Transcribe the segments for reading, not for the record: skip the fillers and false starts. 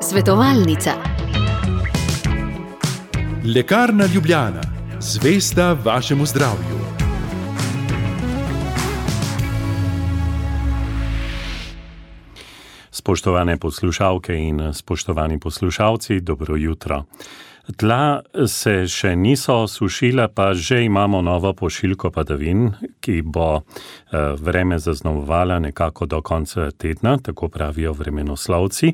Svetovalnica. Lekarna Ljubljana, zvesta vašemu zdravju. Spoštovane poslušalke in spoštovani poslušalci, dobro jutro. Tla se še niso sušila, pa že imamo novo pošiljko padavin, ki bo vreme zaznamovala nekako do konca tedna, tako pravijo vremenoslovci.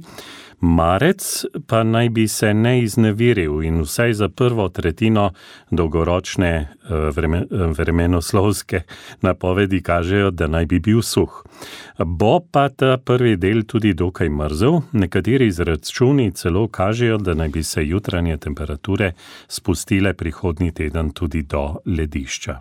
Marec pa naj bi se ne izneviril in vsaj za prvo tretjino dolgoročne vremenoslovske napovedi kažejo, da naj bi bil suh. Bo pa ta prvi del tudi dokaj mrzel, nekateri izračuni celo kažejo, da naj bi se jutranje temperature spustile prihodnji teden tudi do ledišča.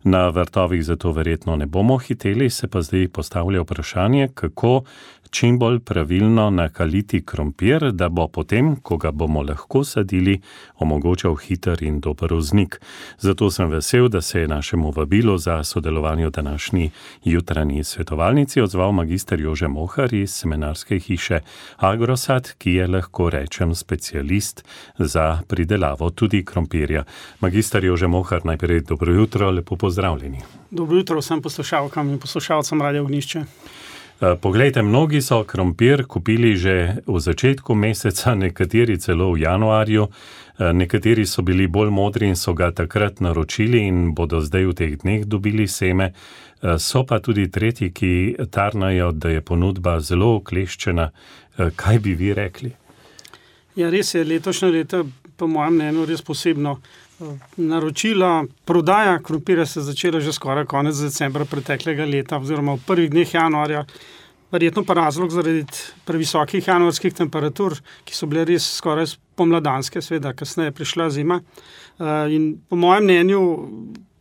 Na vrtovih zato verjetno ne bomo hiteli, se pa zdaj postavlja vprašanje, kako čim bolj pravilno nakaliti krompir, da bo potem, ko ga bomo lahko sadili, omogočal hiter in dober vznik. Zato sem vesel, da se je našemu vabilu za sodelovanje v današnji jutranji svetovalnici odzval magister Jože Mohar iz semenarske hiše Agrosad, ki je, lahko rečem, specialist za pridelavo tudi krompirja. Magister Jože Mohar, najprej dobro jutro, lepo pozdravljeni. Dobro jutro vsem poslušalkam in poslušalcem Radia Ognjišče. Poglejte, mnogi so krompir kupili že v začetku meseca, nekateri celo v januarju, nekateri so bili bolj modri in so ga takrat naročili in bodo zdaj v teh dneh dobili seme. So pa tudi tretji, ki tarnajo, da je ponudba zelo okleščena. Kaj bi vi rekli? Ja, res je, letošnje leto, po mojem mnenju, res posebno. Naročila, prodaja krompirja se začela že skoraj konec decembra preteklega leta oziroma v prvih dneh januarja. Verjetno pa razlog zaradi previsokih januarskih temperatur, ki so bile res skoraj pomladanske, seveda kasneje prišla zima. In po mojem mnenju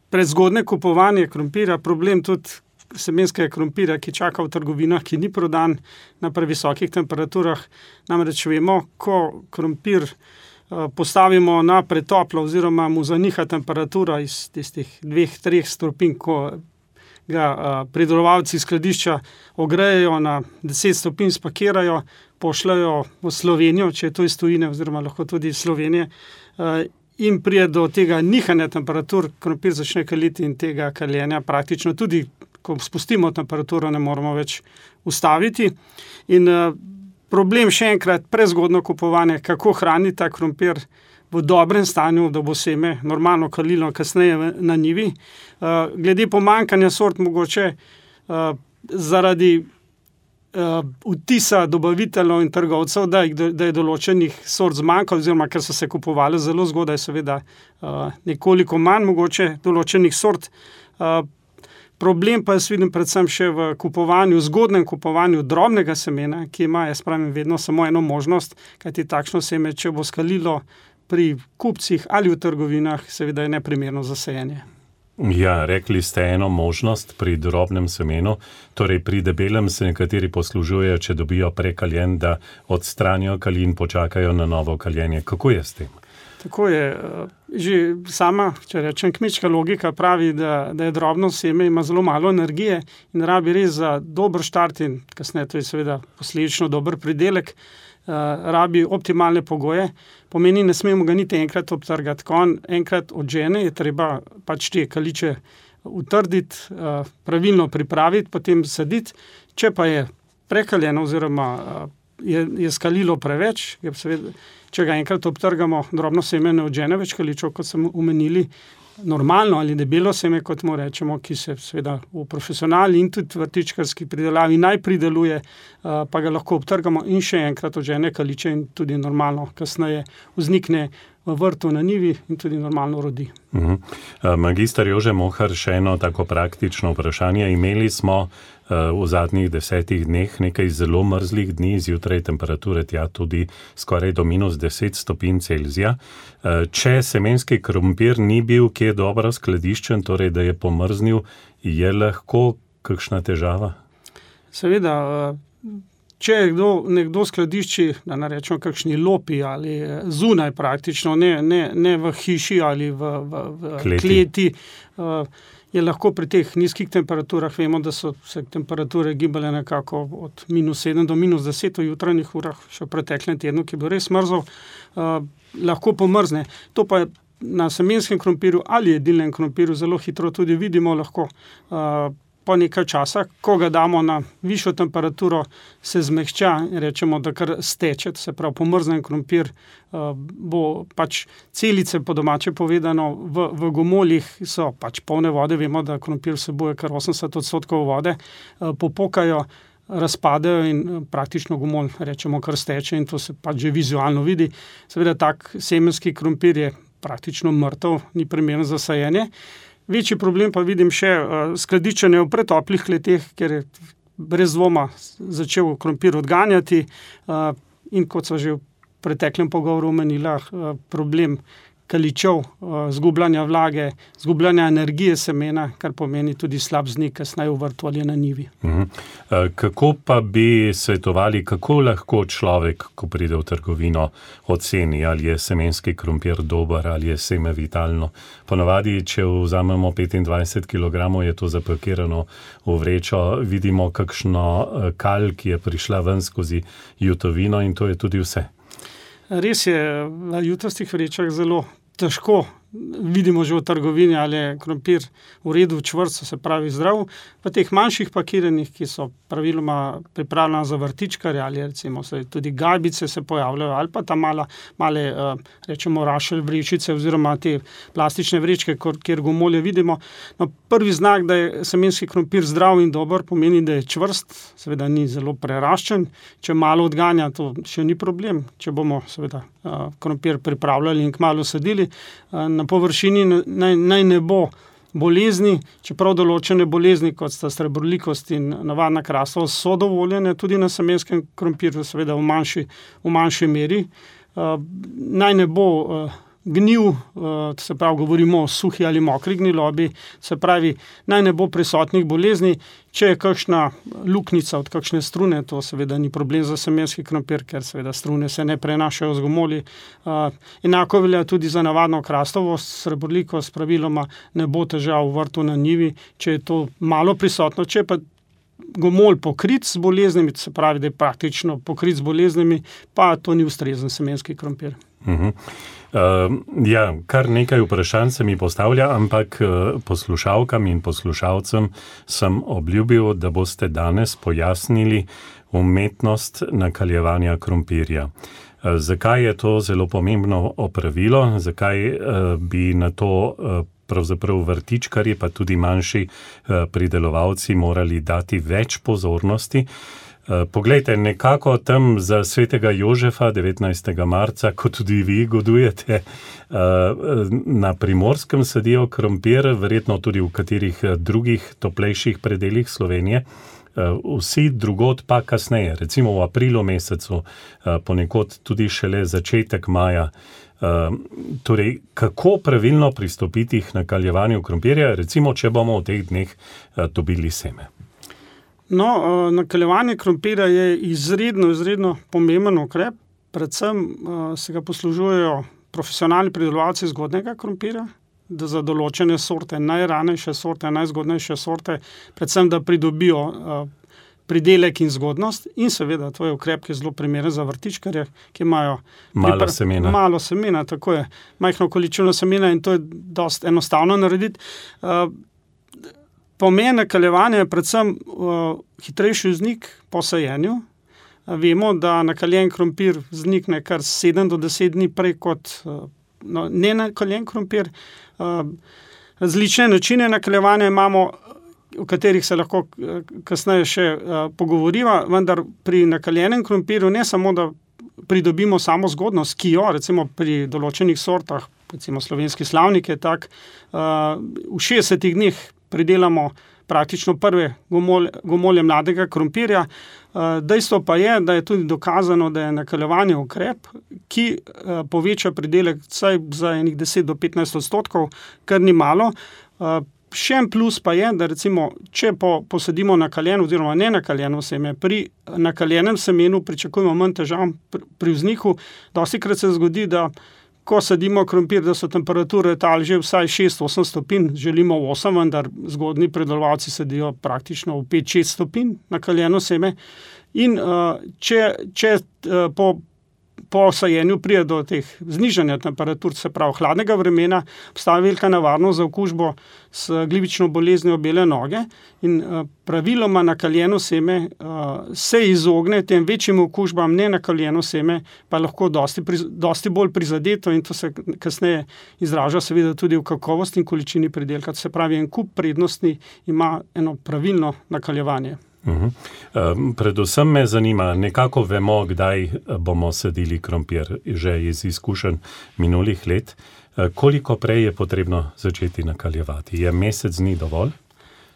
prezgodne kupovanje krompirja, problem tudi semenskega krompirja, ki čaka v trgovinah, ki ni prodan na previsokih temperaturah. Namreč vemo, ko krompir postavimo na pretoplo oziroma mu zaniha temperatura iz tistih 2-3 stopinj, ko ga pridelovalci skladišča ogrejejo na 10 stopinj, spakirajo, pošljajo v Slovenijo, če je to iz tujine oziroma lahko tudi iz Slovenije, in prije do tega nihanja temperatur, krompir začne kaliti in tega kaljenja praktično tudi, ko spustimo temperaturo, ne moramo več ustaviti. In problem še enkrat, prezgodno kupovanje, kako hraniti ta krompir v dobrem stanju, da bo seme normalno kalilo kasneje na njivi. Glede pomanjkanja sort mogoče zaradi vtisa dobaviteljev in trgovcev, da je določenih sort zmanjkalo, oziroma ker so se kupovali zelo zgodaj, seveda nekoliko manj mogoče določenih sort. Problem pa jaz vidim predvsem še v kupovanju, zgodnem kupovanju drobnega semena, ki ima, jaz pravim, vedno samo eno možnost, kajti takšno seme, če bo skalilo pri kupcih ali v trgovinah, seveda je neprimerno za sajenje. Ja, rekli ste eno možnost pri drobnem semenu, torej pri debelem se nekateri poslužujejo, če dobijo prekaljen, da odstranijo kali in počakajo na novo kaljenje. Kako je s tem? Tako je. Že sama, če rečem, kmečka logika pravi, da je drobno seme, ima zelo malo energije in rabi res za dober štart in kasneje to je seveda posledično dober pridelek, rabi optimalne pogoje. Pomeni, ne smemo ga niti enkrat obtrgati. Ko on enkrat odžene, je treba pač te kaliče utrditi, pravilno pripraviti, potem saditi. Če pa je prekaljeno oziroma je skalilo preveč, je seveda, če ga enkrat obtrgamo, drobno seme ne odžene več kaličev, kot smo omenili, normalno ali debelo seme, kot mu rečemo, ki se seveda v profesionalni in tudi vrtičkarski pridelavi naj prideluje, pa ga lahko obtrgamo in še enkrat odžene kaliče in tudi normalno kasneje vznikne v vrtu na njivi in tudi normalno rodi. Magister Jože Mohar, še eno tako praktično vprašanje. Imeli smo v zadnjih 10 dneh nekaj zelo mrzlih dni, zjutraj temperature tja tudi skoraj do -10 stopinj Celzija. Če semenski krompir ni bil kje dobro skladiščen, torej da je pomrznil, je lahko kakšna težava? Seveda, če nekdo skladišči, da ne rečemo kakšni lopi ali zunaj praktično, ne v hiši ali v kleti, je lahko pri teh nizkih temperaturah, vemo, da so se temperature gibale nekako od -7 do -10 v jutranjih urah, še v preteklem tednu, ki je bil res mrzel, lahko pomrzne. To pa je na semenskem krompirju ali jedilnem krompirju zelo hitro tudi vidimo lahko. Po nekaj časa, ko ga damo na višjo temperaturo, se zmehča in rečemo, da kar steče, se pravi pomrznen krompir, bo pač celice, po domače povedano, v gomoljih so pač polne vode, vemo, da krompir vsebuje kar 80% vode, popukajo, razpadejo in praktično gomolj, rečemo, kar steče in to se pač že vizualno vidi. Seveda tak semenski krompir je praktično mrtev, ni primeren za sajenje. Večji problem pa vidim še skladiščenje v pretoplih kleteh, ker je brez dvoma začel krompir odganjati in kot sva že v preteklem pogovoru omenila, problem kaličev, zgubljanja vlage, zgubljanja energije semena, kar pomeni tudi slab vznik kasneje v vrtu ali na njivi. Kako pa bi svetovali, kako lahko človek, ko pride v trgovino, oceni, ali je semenski krompir dober, ali je seme vitalno? Ponavadi, če vzamemo 25 kg, je to zapakirano v vrečo, vidimo kakšno kal, ki je prišla ven skozi jutovino in to je tudi vse. Res je, v jutastih vrečah zelo težko vidimo že v trgovini, ali je krompir v redu, čvrst, se pravi zdrav. V teh manjših pakiranjih, ki so praviloma pripravljena za vrtičkarje, ali recimo tudi gajbice se pojavljajo, ali pa ta male, rečemo, rašelj vrečice oziroma te plastične vrečke, kjer gomolje vidimo. No, prvi znak, da je semenski krompir zdrav in dober, pomeni, da je čvrst, seveda ni zelo preraščen. Če malo odganja, to še ni problem. Če bomo seveda krompir pripravljali in kmalu sadili, na površini naj ne bo bolezni, čeprav določene bolezni, kot sta srebrolikost in navadna krastavost, so dovoljene tudi na semenskem krompirju, seveda v manjši meri. Naj ne bo gnil, se pravi, govorimo o suhi ali mokri gnilobi, se pravi, naj ne bo prisotnih bolezni. Če je kakšna luknjica od kakšne strune, to seveda ni problem za semenski krompir, ker seveda strune se ne prenašajo z gomolji. Enako velja tudi za navadno krastavost, srebrolikost, praviloma ne bo težav v vrtu na njivi, če je to malo prisotno. Če pa gomolj pokrit z boleznimi, se pravi, da je praktično pokrit z boleznimi, pa to ni ustrezen semenski krompir. Kar nekaj vprašanj se mi postavlja, ampak poslušalkam in poslušalcem sem obljubil, da boste danes pojasnili umetnost nakaljevanja krompirja. Zakaj je to zelo pomembno opravilo, zakaj bi na to pravzaprav vrtičkarji, pa tudi manjši pridelovalci morali dati več pozornosti. Poglejte, nekako tam za svetega Jožefa 19. marca, kot tudi vi godujete, na Primorskem sadijo krompir, verjetno tudi v katerih drugih toplejših predelih Slovenije, vsi drugod pa kasneje, recimo v aprilu mesecu, ponekod tudi šele začetek maja. Torej, kako pravilno pristopiti k nakaljevanju krompirja, recimo, če bomo v teh dneh dobili seme? No, nakaljevanje krompirja je izredno pomemben ukrep, predvsem se ga poslužujejo profesionalni pridelovalci zgodnjega krompirja, da za določene sorte, najranejše sorte, najzgodnejše sorte, predvsem da pridobijo pridelek in zgodnost in seveda to je ukrep, ki je zelo primeren za vrtičkarje, ki imajo malo semena, tako je, majhno količino semena in to je dosti enostavno narediti. Pomen nakaljevanja je predvsem hitrejši vznik po sajenju. Vemo, da nakaljen krompir vznikne kar 7 do 10 dni prej kot nenakaljen krompir. Različne načine nakaljevanja imamo, o katerih se lahko kasneje še pogovoriva, vendar pri nakaljenem krompirju ne samo, da pridobimo samo zgodnost, ki jo recimo pri določenih sortah, recimo slovenski slavnik je tak, v 60 dneh pridelamo praktično prve gomolje mladega krompirja. Dejstvo pa je, da je tudi dokazano, da je nakaljevanje ukrep, ki poveča pridelek vsaj za enih 10 do 15%, kar ni malo. Še en plus pa je, da recimo, če posadimo nakaljeno oziroma nenakaljeno seme, pri nakaljenem semenu pričakujemo manj težav pri vzniku. Dostikrat se zgodi, da ko sadimo krompir, da so temperature tal že vsaj 6-8 stopinj, želimo 8, vendar zgodnji predelovalci sadijo praktično v 5-6 stopinj nakaljeno seme. In če po sajenju pride do teh znižanja temperatur, se pravi hladnega vremena, obstaja velika nevarnost za okužbo s glivično boleznijo bele noge in praviloma nakaljeno seme se izogne tem večjim okužbam, nenakaljeno seme pa lahko dosti bolj prizadeto in to se kasneje izraža seveda tudi v kakovosti in količini pridelka. Se pravi, en kup prednosti ima eno pravilno nakaljevanje. Predvsem me zanima, nekako vemo, kdaj bomo sadili krompir, že iz izkušenj minulih let. Koliko prej je potrebno začeti nakaljevati? Je mesec dni dovolj?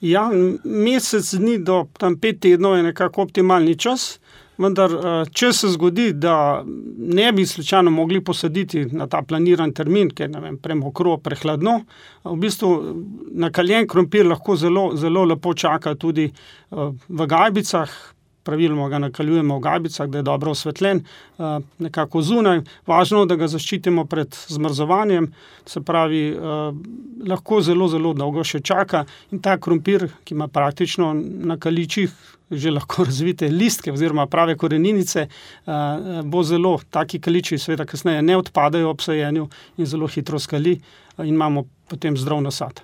Ja, mesec dni do 5 tednov je nekako optimalni čas, vendar če se zgodi, da ne bi slučajno mogli posaditi na ta planiran termin, ker premokro, prehladno, v bistvu nakaljen krompir lahko zelo, zelo lepo čaka tudi v gajbicah, praviloma ga nakaljujemo v gajbicah, da je dobro osvetljen, nekako zunaj. Važno, da ga zaščitimo pred zmrzovanjem, se pravi, lahko zelo, zelo dolgo še čaka in ta krompir, ki ima praktično na kaličih že lahko razvite listke oziroma prave koreninice, bo zelo, taki kaliči seveda kasneje ne odpadajo ob sajenju in zelo hitro skali in imamo potem zdrav nasad.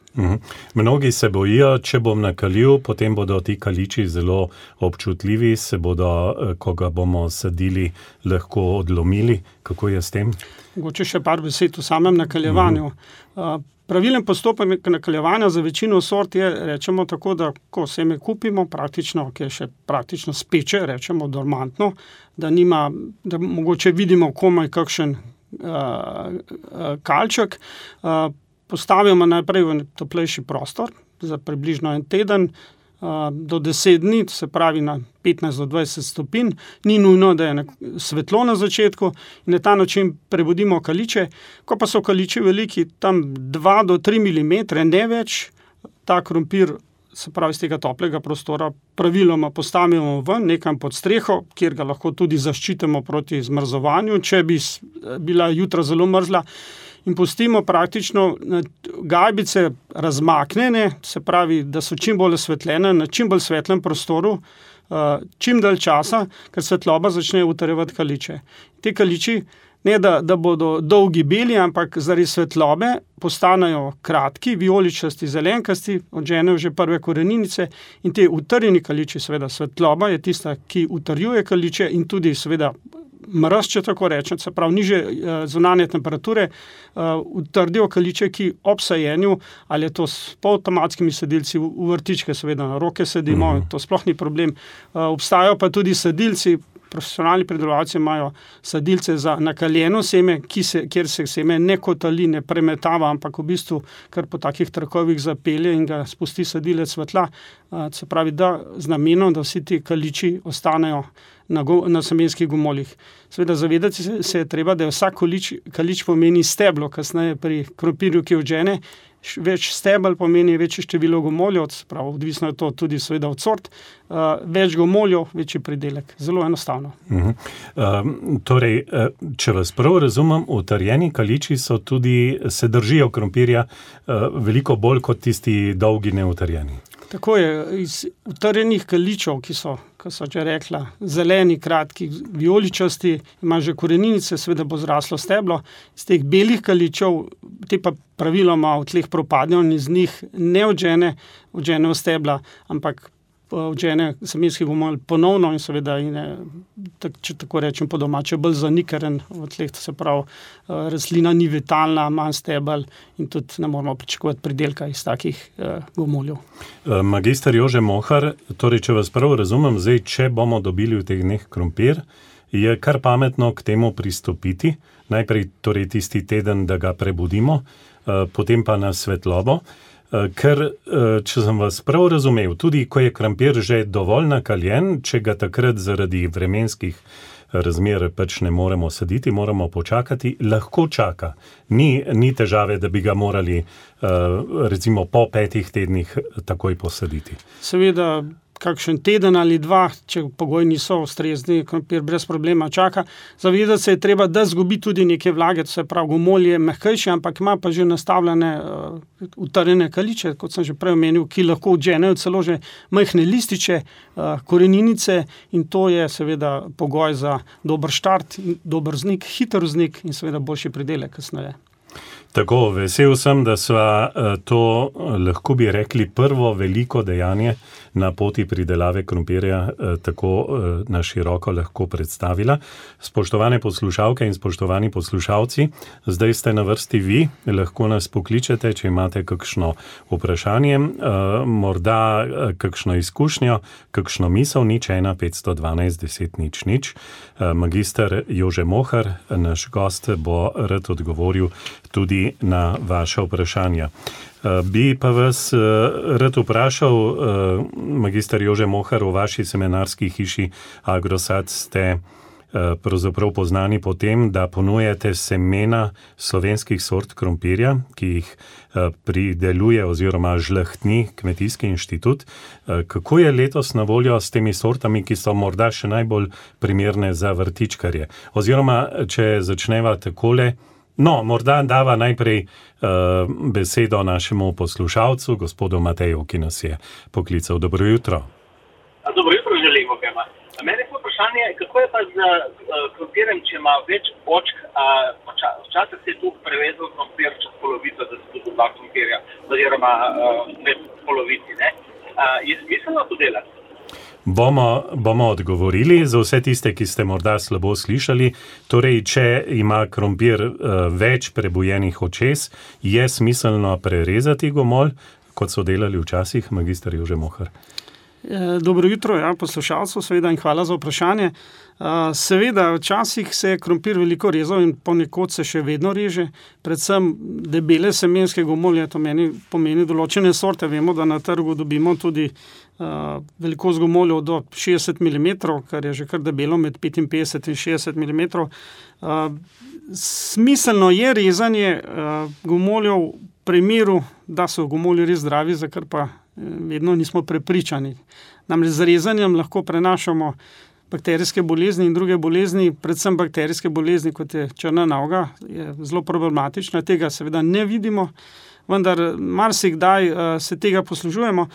Mnogi se bojijo, če bom nakaljil, potem bodo ti kaliči zelo občutljivi, se bodo, ko ga bomo sadili, lahko odlomili. Kako je s tem? Mogoče še par besed o samem nakaljevanju. Pravilen postopek nakaljevanja za večino sort je, rečemo tako, da ko seme kupimo, praktično, ki je še praktično speče, rečemo dormantno, da mogoče vidimo komaj kakšen kalček, postavimo najprej v toplejši prostor za približno 1 teden, do 10 dni, se pravi na 15 do 20 stopinj, ni nujno, da je svetlo na začetku in na ta način prebudimo kaliče. Ko pa so kaliči veliki, tam 2 do 3 mm, ne več, ta krompir, se pravi z tega toplega prostora, praviloma postavimo ven, nekam pod streho, kjer ga lahko tudi zaščitimo proti zmrzovanju, če bi bila jutra zelo mrzla, in pustimo praktično gajbice razmaknjene, se pravi, da so čim bolj osvetljene, na čim bolj svetlem prostoru, čim dalj časa, ker svetloba začne utrjevati kaliče. Te kaliči, ne da bodo dolgi beli, ampak zaradi svetlobe postanejo kratki, vijoličasti, zelenkasti, odženejo že prve koreninice in te utrjeni kaliči, seveda svetloba je tista, ki utrjuje kaliče in tudi seveda mraz, če tako rečem, se pravi niže zunanje temperature, utrdijo kaliče, ki ob sajenju, ali je to s polavtomatskimi sadilci, v vrtičke seveda na roke sadimo, to sploh ni problem. Obstajajo pa tudi sadilci, profesionalni predelovalci imajo sadilce za nakaljeno seme, kjer se seme ne kotali, ne premetava, ampak v bistvu kar po takih trakovih zapelje in ga spusti sadilec v tla. Se pravi, da z namenom, da vsi ti kaliči ostanejo na semenskih gomoljih. Seveda zavedati se je treba, da je vsak kalič pomeni steblo, kasneje pri krompirju, ki odžene, več stebel pomeni večje število gomoljev, prav, odvisno je to tudi seveda od sort, več gomoljev, večji pridelek. Zelo enostavno. Torej, če vas prav razumem, utrjeni kaliči se držijo krompirja veliko bolj kot tisti dolgi neutrjeni. Tako je, iz utrjenih kaličev, ki so, kot so že rekla, zeleni, kratki, vijoličasti, ima že koreninice, seveda bo zraslo steblo. Iz teh belih kaličev, te pa praviloma v tleh propadnejo in iz njih ne odženejo stebla, ampak odžene semenski gomolj ponovno in seveda, če tako rečem po domače, bolj zanikaren v tleh, se pravi, rastlina ni vitalna, manj stebel in tudi ne moramo pričakovati pridelka iz takih gomoljev. Magister Jože Mohar, torej, če vas prav razumem, zdaj, če bomo dobili v teh dneh krompir, je kar pametno k temu pristopiti, najprej torej tisti teden, da ga prebudimo, potem pa na svetlobo. Ker, če sem vas prav razumel, tudi ko je krompir že dovolj nakaljen, če ga takrat zaradi vremenskih razmer pač ne moremo saditi, moramo počakati, lahko čaka. Ni težave, da bi ga morali recimo po 5 tednih takoj posaditi. Seveda, kakšen teden ali dva, če pogoji niso ustrezni, krompir brez problema čaka. Zavedati se je treba, da zgubi tudi neke vlage, to se pravi, gomolj je mehkejši, ampak ima pa že nastavljene utrjene kaliče, kot sem že prej omenil, ki lahko odženejo celo že majhne lističe, koreninice, in to je seveda pogoj za dober štart, dober vznik, hiter vznik in seveda boljši pridelek kasneje. Tako, vesel sem, da sva to, lahko bi rekli, prvo veliko dejanje na poti pridelave krompirja tako na široko lahko predstavila. Spoštovane poslušalke in spoštovani poslušalci, zdaj ste na vrsti vi, lahko nas pokličete, če imate kakšno vprašanje, morda kakšno izkušnjo, kakšno misel, 0 512 10 0. Magister Jože Mohar, naš gost, bo rad odgovoril tudi na vaše vprašanja. Bi pa vas rad vprašal, magister Jože Mohar, v vaši seminarski hiši Agrosad ste pravzaprav poznani po tem, da ponujate semena slovenskih sort krompirja, ki jih prideluje oziroma žlahtni Kmetijski inštitut. Kako je letos na voljo s temi sortami, ki so morda še najbolj primerne za vrtičkarje? Oziroma, če začneva takole, morda dava najprej besedo našemu poslušalcu, gospodu Mateju, ki nas je poklical. Dobro jutro. Dobro jutro želim obema. Mene je vprašanje, kako je pa z krompirjem, če ima več očk, včasih se je tu prevezal krompir čez polovico, da se tudi dva krompirja, oziroma med polovici, ne? Je smiselno to delati? Bomo odgovorili za vse tiste, ki ste morda slabo slišali. Torej, če ima krompir več prebujenih očes, je smiselno prerezati gomolj, kot so delali včasih, magister Jože Mohar. Dobro jutro, poslušalcev, seveda, in hvala za vprašanje. Seveda, včasih se je krompir veliko rezal in ponekod se še vedno reže, predvsem debele semenske gomolje, to pomeni določene sorte. Vemo, da na trgu dobimo tudi velikost gomoljev do 60 mm, kar je že kar debelo, med 55 in 60 mm. Smiselno je rezanje gomoljev v primeru, da so gomolji res zdravi, za kar pa vedno nismo prepričani. Namreč z rezanjem lahko prenašamo bakterijske bolezni in druge bolezni, predvsem bakterijske bolezni, kot je črna noga, je zelo problematična, tega seveda ne vidimo, vendar marsikdaj se tega poslužujemo.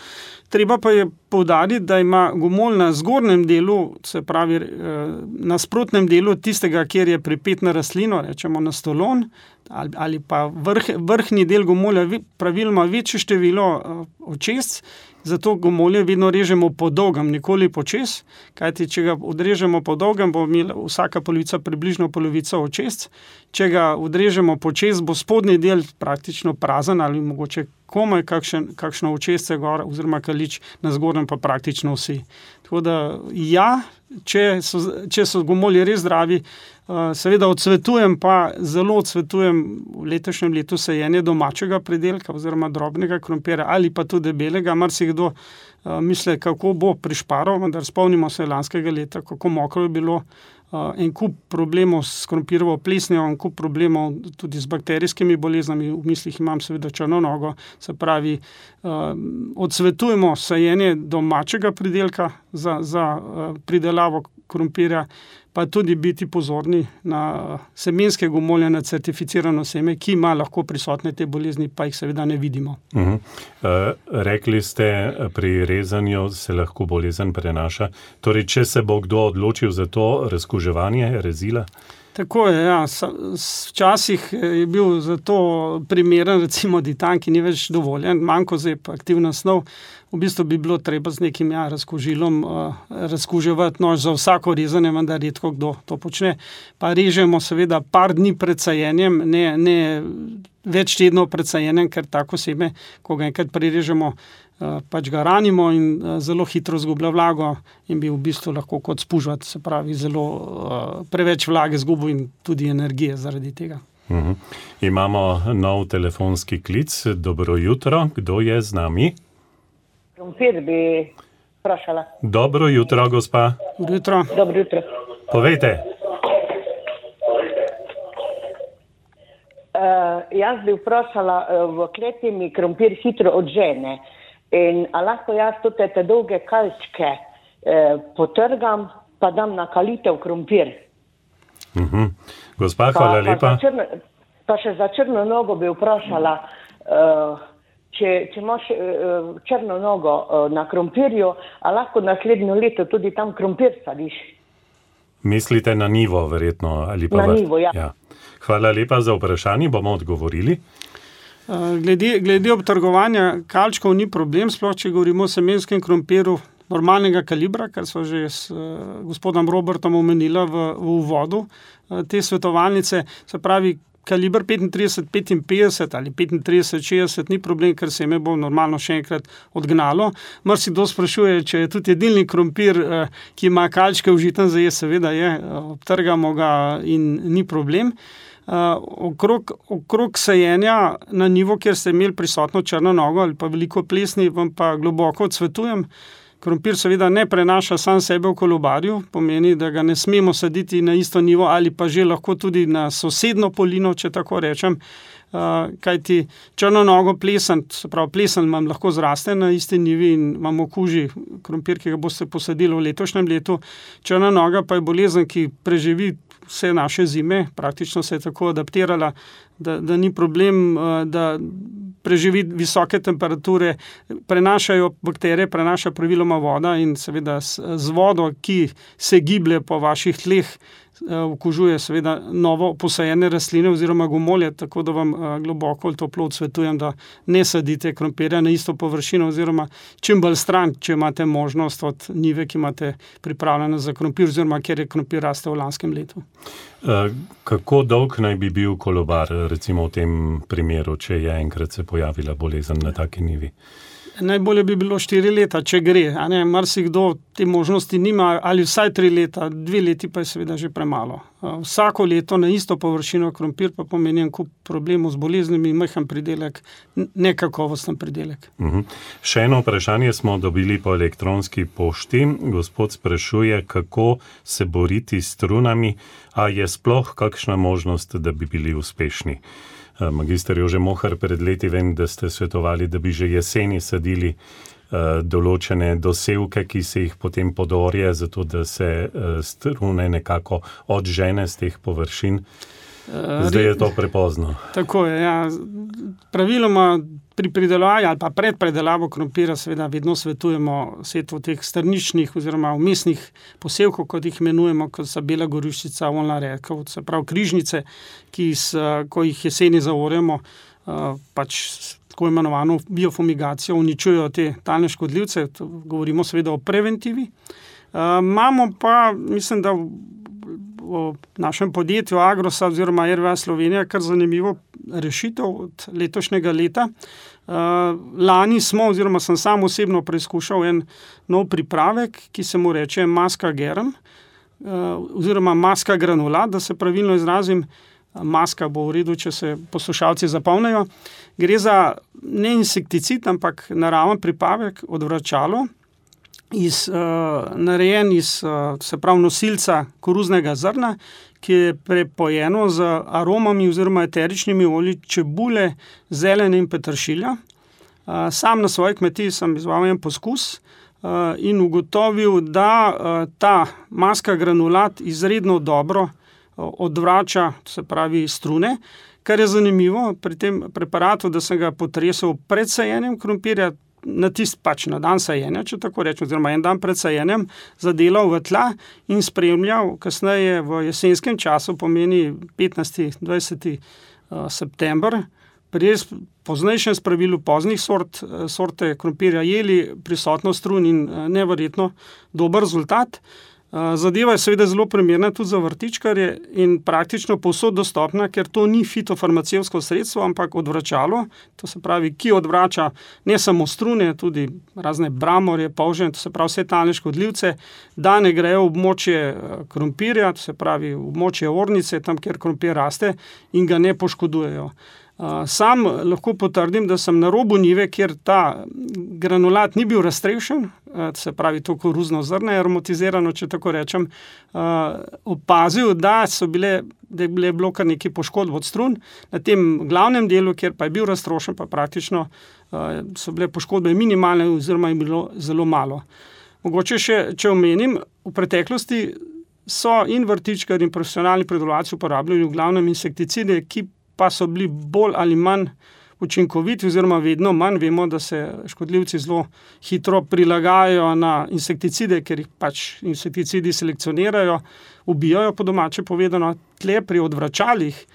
Treba pa je poudariti, da ima gomolj na zgornjem delu, se pravi na sprotnem delu tistega, kjer je pripet na rastlino, rečemo na stolon, ali pa vrhnji del gomolja praviloma večje število očesc, zato gomolje vedno režemo po dolgem, nikoli počez, kajti če ga odrežemo po dolgem, bo imela vsaka polovica približno polovico očesc. Če ga odrežemo počez, bo spodnji del praktično prazen ali mogoče komaj kakšno očesce gor oziroma kalič, na zgornjem pa praktično vsi. Tako da če so gomolji res zdravi, seveda odsvetujem, pa zelo odsvetujem v letošnjem letu sajenje domačega pridelka oziroma drobnega krompirja ali pa tudi debelega. Marsikdo misli, kako bo prišparal, vendar spomnimo se lanskega leta, kako mokro je bilo, en kup problemov s krompirjevo plesnjo, en kup problemov tudi z bakterijskimi boleznami, v mislih imam seveda črno nogo, se pravi, odsvetujemo sajenje domačega pridelka za pridelavo krompirja, pa tudi biti pozorni na semenske gomolje, na certificirano seme, ki ima lahko prisotne te bolezni, pa jih seveda ne vidimo. Rekli ste, pri rezanju se lahko bolezen prenaša. Torej, če se bo kdo odločil za to razkuževanje rezila? Tako je, včasih je bil za to primeren recimo ditan, ki ni več dovoljen, mankozeb, aktivna snov. V bistvu bi bilo treba z nekim razkužilom razkuževati nož za vsako rezanje, vendar redko kdo to počne. Pa režemo seveda par dni pred sajenjem, ne več tednov pred sajenjem, ker tako seme, ko ga enkrat prerežemo, pač ga ranimo in zelo hitro zgublja vlago in bi v bistvu lahko kot spužvat, se pravi, zelo preveč vlage zgubil in tudi energije zaradi tega. Imamo nov telefonski klic. Dobro jutro, kdo je z nami? Krompir bi vprašala. Dobro jutro, gospa. Dobro jutro. Dobro jutro. Povejte. Jaz bi vprašala, v kleti mi krompir hitro odžene. In a lahko jaz tudi te dolge kalčke potrgam, pa dam na kalitev krompir. Gospa, hvala lepa. Pa še za črno nogo bi vprašala, če imaš črno nogo na krompirju, a lahko naslednjo leto tudi tam krompir sadiš? Mislite na nivo, verjetno? Ali pa na nivo, ja. Hvala lepa za vprašanje, bomo odgovorili. Glede obtrgovanja kalčkov ni problem, sploh če govorimo o semenskem krompiru normalnega kalibra, kar smo že s gospodom Robertom omenila v uvodu te svetovalnice, se pravi kaliber 35-55 ali 35-60 ni problem, ker seme bo normalno še enkrat odgnalo. Marsikdo sprašuje, če je tudi jedilni krompir, ki ima kalčke užiten za jesti, seveda je, obtrgamo ga in ni problem. Okrog sajenja na nivo, kjer ste imeli prisotno črno nogo ali pa veliko plesni, vam pa globoko odsvetujem. Krompir seveda ne prenaša sam sebe v kolobarju, pomeni, da ga ne smemo saditi na isto nivo ali pa že lahko tudi na sosedno polino, če tako rečem, kajti črno nogo plesen, se pravi plesen vam lahko zraste na isti nivi in vam okuži krompir, ki ga boste posadili v letošnjem letu. Črna noga pa je bolezen, ki preživi vse naše zime, praktično se je tako adaptirala, da ni problem, da preživi visoke temperature, prenašajo bakterije, prenaša praviloma voda in seveda z vodo, ki se giblje po vaših tleh, okužuje seveda novo posajene rastline oziroma gomolje, tako da vam globoko ali toplo odsvetujem, da ne sadite krompirja na isto površino oziroma čim bolj stran, če imate možnost od nive, ki imate pripravljeno za krompir oziroma kjer je krompir raste v lanskem letu. Kako dolg naj bi bil kolobar, recimo v tem primeru, če je enkrat se pojavila bolezen na taki nivi? Najbolje bi bilo 4 leta, če gre. Marsikdo te možnosti nima, ali vsaj 3 leta, 2 leti pa je seveda že premalo. Vsako leto na isto površino krompir pa pomeni en kup problemov z boleznimi, majhen pridelek, nekakovosten pridelek. Še eno vprašanje smo dobili po elektronski pošti. Gospod sprašuje, kako se boriti s strunami, a je sploh kakšna možnost, da bi bili uspešni? Magister Jože Mohar, pred leti vem, da ste svetovali, da bi že jeseni sadili določene dosevke, ki se jih potem podorje, zato da se strune nekako odžene z teh površin. Zdaj je to prepozno. Tako je, ja. Praviloma pri pridelavi ali pa pred predelavo krompira seveda vedno svetujemo setvo teh strničnih oziroma vmesnih posevkov, kot jih imenujemo, kot so bela goruščica, oljna redkev, se pravi križnice, ko jih jeseni zaorjemo, pač tako imenovano biofumigacijo, uničujejo te talne škodljivce, govorimo seveda o preventivi. Imamo pa, mislim, da v našem podjetju Agrosa oziroma RWA Slovenija kar zanimivo rešitev od letošnjega leta. Lani smo, oziroma sem sam osebno preizkušal en nov pripravek, ki se mu reče maska germ, oziroma maska granulat, da se pravilno izrazim. Maska bo v redu, če se poslušalci zapomnijo. Gre za ne insekticid, ampak naraven pripravek, odvračalo, narejen iz, se pravi, nosilca koruznega zrna, ki je prepojeno z aromami oziroma eteričnimi olji čebule, zelene in peteršilja. Sam na svoji kmetiji sem izvajal en poskus in ugotovil, da ta maska granulat izredno dobro odvrača, se pravi, strune, kar je zanimivo pri tem preparatu, da sem ga potresel pred sajenjem krompirja, na dan sajenja, če tako rečem, oziroma en dan pred sajenjem, zadelal v tla in spremljal kasneje v jesenskem času, pomeni 15-20. September, pri poznejšem spravilu poznih sorte krompirja jeli prisotnost strun in neverjetno dober rezultat. Zadeva je seveda zelo primerna tudi za vrtičkarje in praktično povsod dostopna, ker to ni fitofarmacevtsko sredstvo, ampak odvračalo, to se pravi, ki odvrača ne samo strune, tudi razne bramorje, polže, to se pravi vse talne škodljivce, da ne grejo v območje krompirja, to se pravi v območje ornice, tam, kjer krompir raste in ga ne poškodujejo. Sam lahko potrdim, da sem na robu njive, kjer ta granulat ni bil raztrešen, se pravi to koruzno zrno je aromatizirano, če tako rečem, opazil, da je bilo kar nekaj poškodb od strun. Na tem glavnem delu, kjer pa je bil raztrošen, pa praktično so bile poškodbe minimalne oziroma je bilo zelo malo. Mogoče še, če omenim, v preteklosti so in vrtičkarji in profesionalni pridelovalci uporabljali v glavnem insekticide, ki pa so bili bolj ali manj učinkoviti oziroma vedno manj. Vemo, da se škodljivci zelo hitro prilagajajo na insekticide, ker jih pač insekticidi selekcionirajo, ubijajo po domače povedano. Tle pri odvračalih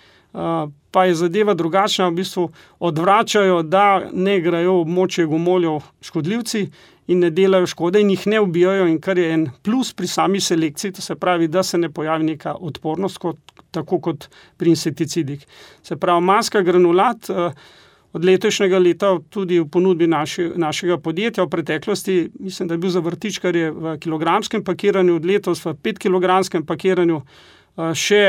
pa je zadeva drugačna, v bistvu odvračajo, da ne grejo v območje gomoljev škodljivci in ne delajo škode in jih ne ubijajo, in kar je en plus pri sami selekciji, to se pravi, da se ne pojavi neka odpornost, tako kot pri insekticidih. Se pravi, maska granulat od letošnjega leta tudi v ponudbi našega podjetja v preteklosti, mislim, da je bil za vrtičkarje v kilogramskem pakiranju, od letos v 5-kilogramskem pakiranju, še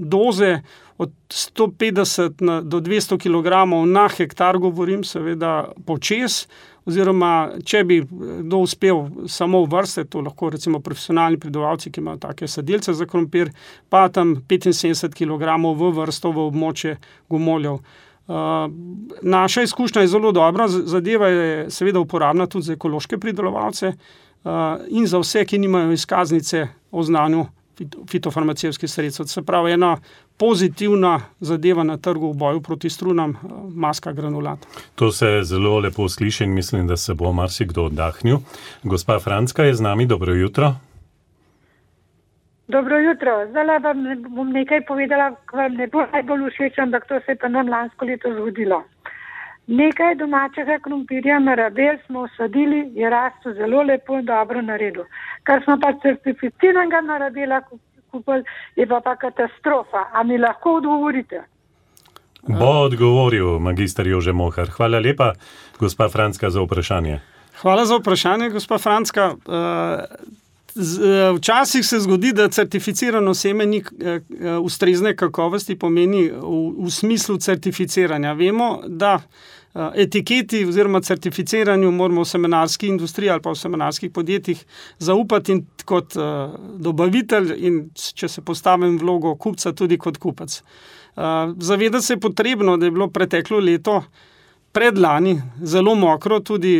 doze od 150 do 200 kilogramov na hektar, govorim seveda počez, oziroma če bi kdo uspel samo v vrste, to lahko recimo profesionalni pridelovalci, ki imajo take sadelce za krompir, pa tam 75 kilogramov v vrsto v območje gomoljev. Naša izkušnja je zelo dobra, zadeva je seveda uporabna tudi za ekološke pridelovalce in za vse, ki nimajo izkaznice o znanju fitofarmacevskih sredstev. Se pravi, ena pozitivna zadeva na trgu v boju proti strunam, maska granulat. To se zelo lepo sliši in mislim, da se bo marsikdo oddahnil. Gospa Francka je z nami, dobro jutro. Dobro jutro. Zdaj vam bom nekaj povedala, ki vam ne bo najbolj všeč, ampak to se je pa nam lansko leto zgodilo. Nekaj domačega krompirja na rabel smo usadili, je rastel zelo lepo in dobro naredil. Kar smo pa certificiranega na rabela kupili, je pa katastrofa. A mi lahko odgovorite? Bo odgovoril magister Jože Mohar. Hvala lepa, gospa Francka, za vprašanje. Hvala za vprašanje, gospa Francka. Včasih se zgodi, da certificirano seme ni ustrezne kakovosti, pomeni v smislu certificiranja. Vemo, da etiketi oziroma certificiranju moramo v semenarski industriji ali pa v semenarskih podjetjih zaupati in kot dobavitelj in, če se postavim v vlogo kupca, tudi kot kupec. Zavedati se je potrebno, da je bilo preteklo leto predlani zelo mokro, tudi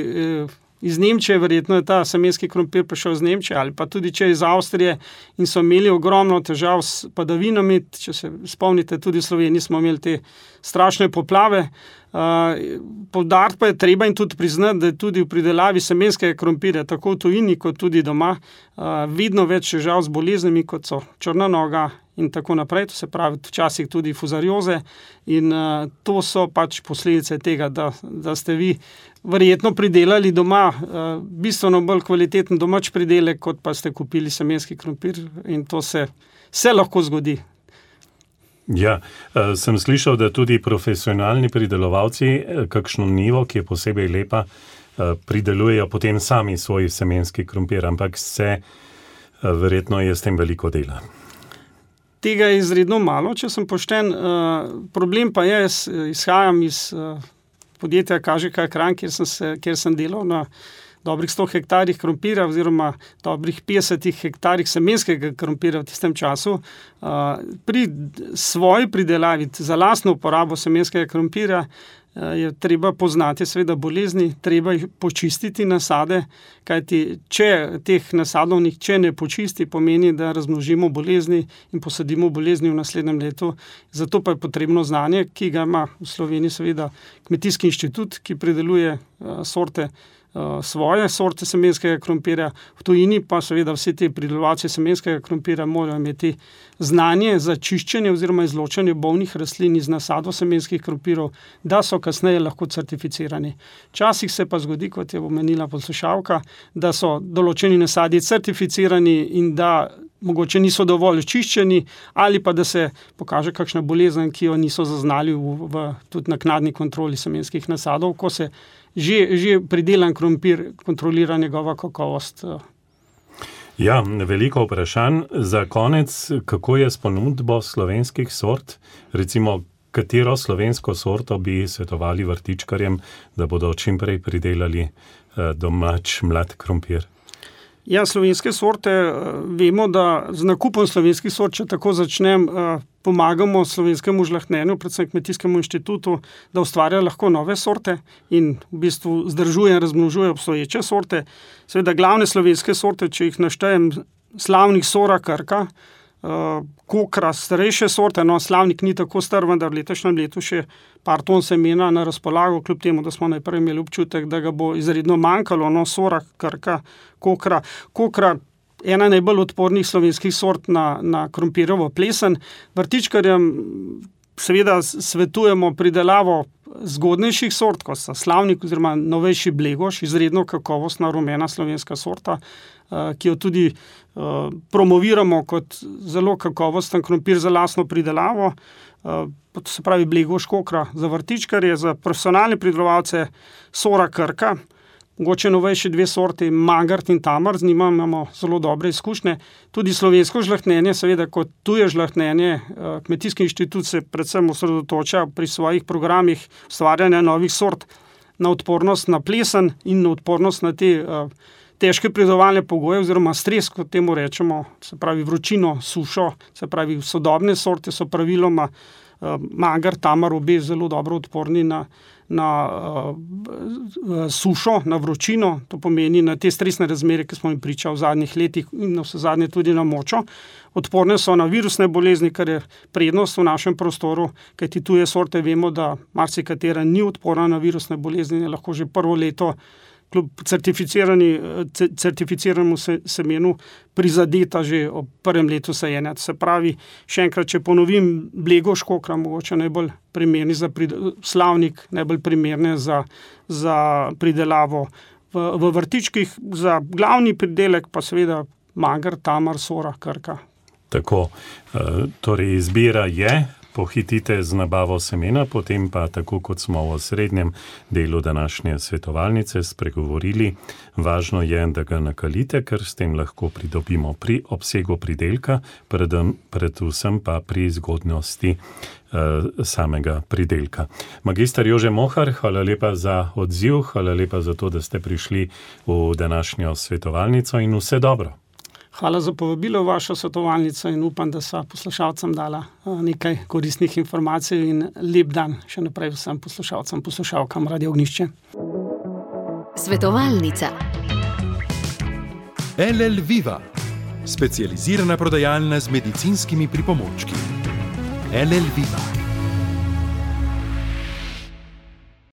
iz Nemčije, verjetno je ta semenski krompir prišel iz Nemčije, ali pa tudi če iz Avstrije, in so imeli ogromno težav s padavinami. Če se spomnite, tudi v Sloveniji smo imeli te strašne poplave. Poudariti pa je treba in tudi priznati, da je tudi v pridelavi semenskega krompirja, tako v tujini kot tudi doma, vedno več težav z boleznimi, kot so črna noga in tako naprej, to se pravi včasih tudi fuzarioze, in to so pač posledice tega, da ste vi verjetno pridelali doma bistveno bolj kvaliteten domač pridelek, kot pa ste kupili semenski krompir, in to se lahko zgodi. Ja, sem slišal, da tudi profesionalni pridelovalci kakšno nivo, ki je posebej lepa, pridelujejo potem sami svoj semenski krompir, ampak verjetno je s tem veliko dela. Tega je izredno malo, če sem pošten. Problem pa je, izhajam iz podjetja KŽK Kranj, kjer sem delal na dobrih 100 hektarjih krompira oziroma dobrih 50 hektarjih semenskega krompira v tistem času. Pri svoji pridelavi za lastno uporabo semenskega krompira je treba poznati seveda bolezni, treba jih počistiti nasade, kajti če teh nasadov nihče ne počisti, pomeni, da razmnožimo bolezni in posadimo bolezni v naslednjem letu. Zato pa je potrebno znanje, ki ga ima v Sloveniji seveda Kmetijski inštitut, ki prideluje svoje sorte semenskega krompirja, v tujini pa seveda vsi te pridelovalci semenskega krompirja morajo imeti znanje za čiščenje oziroma izločanje bolnih rastlin iz nasadov semenskih krompirov, da so kasneje lahko certificirani. Včasih se pa zgodi, kot je omenila poslušalka, da so določeni nasadi certificirani in da mogoče niso dovolj čiščeni, ali pa da se pokaže kakšna bolezen, ki jo niso zaznali v tudi naknadni kontroli semenskih nasadov, ko se že pridelan krompir kontrolira njegova kakovost. Ja, veliko vprašanj. Za konec, kako je s ponudbo slovenskih sort? Recimo, katero slovensko sorto bi svetovali vrtičkarjem, da bodo čim prej pridelali domač mlad krompir? Ja, slovenske sorte, vemo, da z nakupom slovenskih sort, če tako začnem, pomagamo slovenskemu žlahtnjenju, predvsem Kmetijskemu inštitutu, da ustvarja lahko nove sorte in v bistvu zdržuje in razmnožuje obstoječe sorte. Seveda glavne slovenske sorte, če jih naštejem, Slavnik, Sora, Krka, Kokra, starejše sorte, no, Slavnik ni tako star, vendar v letošnjem letu še par ton semena na razpolago, kljub temu, da smo najprej imeli občutek, da ga bo izredno manjkalo, no, Sora, Krka, Kokra, ena najbolj odpornih slovenskih sort na krompirjevo plesen. Vrtičkarjem seveda svetujemo pridelavo zgodnejših sort, kot sta Slavnik oziroma novejši Blegoš, izredno kakovostna rumena slovenska sorta, ki jo tudi promoviramo kot zelo kakovosten krompir za lastno pridelavo. Se pravi Blegoš, Kokra za vrtičkarje, za profesionalne pridelovalce Sora, Krka, mogoče novejši dve sorti, Mangart in Tamar, z njima imamo zelo dobre izkušnje. Tudi slovensko žlahtnjenje, seveda kot tuje žlahtnjenje, Kmetijski inštitut se predvsem osredotoča pri svojih programih ustvarjanja novih sort na odpornost na plesen in na odpornost na te težke pridelovalne pogoje oziroma stres, kot temu rečemo, se pravi vročino, sušo, se pravi sodobne sorte so praviloma Mangart, Tamar, obe zelo dobro odporni na sušo, na vročino, to pomeni na te stresne razmere, ki smo jim priča v zadnjih letih in na vse zadnje tudi na močo. Odporne so na virusne bolezni, kar je prednost v našem prostoru, kajti tuje sorte vemo, da marsikatera ni odporna na virusne bolezni, je lahko že prvo leto kljub certificiranemu semenu prizadeta že ob prvem letu sajenja. Se pravi, še enkrat, če ponovim, Blegoš, Kokra, mogoče najbolj primerni za Slavnik, najbolj primerne za pridelavo v vrtičkih, za glavni pridelek pa seveda Mangart, Tamar, Sora, Krka. Tako, torej izbira je, pohitite z nabavo semena, potem pa, tako kot smo v srednjem delu današnje svetovalnice spregovorili, važno je, da ga nakalite, ker s tem lahko pridobimo pri obsegu pridelka, predvsem pa pri zgodnosti samega pridelka. Magister Jože Mohar, hvala lepa za odziv, hvala lepa za to, da ste prišli v današnjo svetovalnico in vse dobro. Hvala za povabilo v vašo svetovalnico in upam, da sva poslušalcem dala nekaj koristnih informacij in lep dan še naprej vsem poslušalcem, poslušalkam Radio Ognjišče. Svetovalnica. LL Viva, specializirana prodajalna z medicinskimi pripomočki. LL Viva.